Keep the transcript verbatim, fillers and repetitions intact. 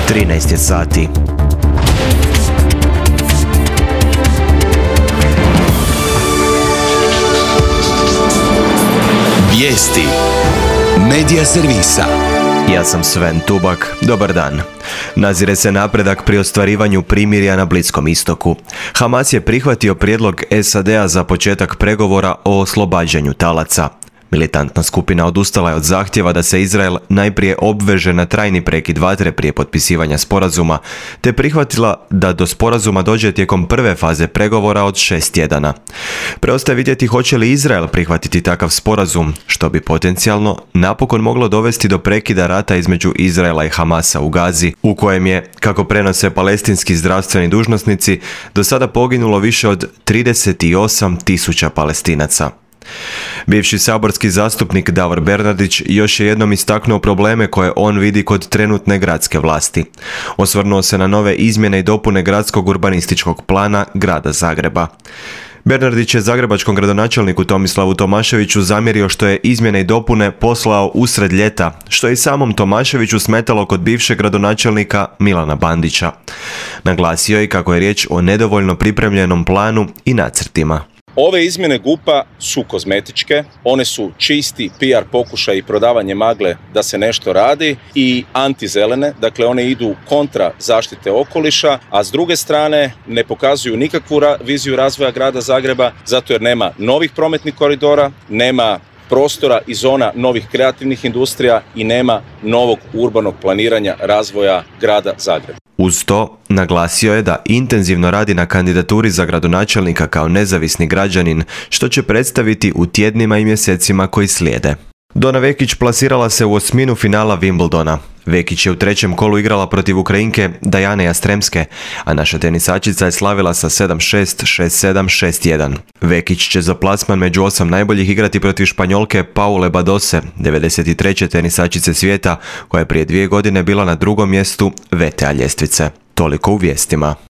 trinaest je sati. Vijesti Medija servisa. Ja sam Sven Tubak, dobar dan. Nazire se napredak pri ostvarivanju primirja na Bliskom istoku. Hamas je prihvatio prijedlog S A D-a za početak pregovora o oslobađanju talaca. Militantna skupina odustala je od zahtjeva da se Izrael najprije obveže na trajni prekid vatre prije potpisivanja sporazuma, te prihvatila da do sporazuma dođe tijekom prve faze pregovora od šest tjedana. Preostaje vidjeti hoće li Izrael prihvatiti takav sporazum, što bi potencijalno napokon moglo dovesti do prekida rata između Izraela i Hamasa u Gazi, u kojem je, kako prenose palestinski zdravstveni dužnosnici, do sada poginulo više od trideset osam tisuća Palestinaca. Bivši saborski zastupnik Davor Bernardić još je jednom istaknuo probleme koje on vidi kod trenutne gradske vlasti. Osvrnuo se na nove izmjene i dopune gradskog urbanističkog plana grada Zagreba. Bernardić je zagrebačkom gradonačelniku Tomislavu Tomaševiću zamjerio što je izmjene i dopune poslao usred ljeta, što je i samom Tomaševiću smetalo kod bivšeg gradonačelnika Milana Bandića. Naglasio je kako je riječ o nedovoljno pripremljenom planu i nacrtima. Ove izmjene G U P-a su kozmetičke, one su čisti P R pokušaj i prodavanje magle da se nešto radi i antizelene, dakle one idu kontra zaštite okoliša, a s druge strane ne pokazuju nikakvu ra- viziju razvoja grada Zagreba, zato jer nema novih prometnih koridora, nema prostora i zona novih kreativnih industrija i nema novog urbanog planiranja razvoja grada Zagreba. Uz to, naglasio je da intenzivno radi na kandidaturi za gradonačelnika kao nezavisni građanin, što će predstaviti u tjednima i mjesecima koji slijede. Dona Vekić plasirala se u osminu finala Wimbledona. Vekić je u trećem kolu igrala protiv Ukrajinke Dajane Jastremske, a naša tenisačica je slavila sa sedam šest, šest sedam, šest jedan. Vekić će za plasman među osam najboljih igrati protiv Španjolke Paule Badose, devedeset treće tenisačice svijeta, koja je prije dvije godine bila na drugom mjestu V T A ljestvice. Toliko u vijestima.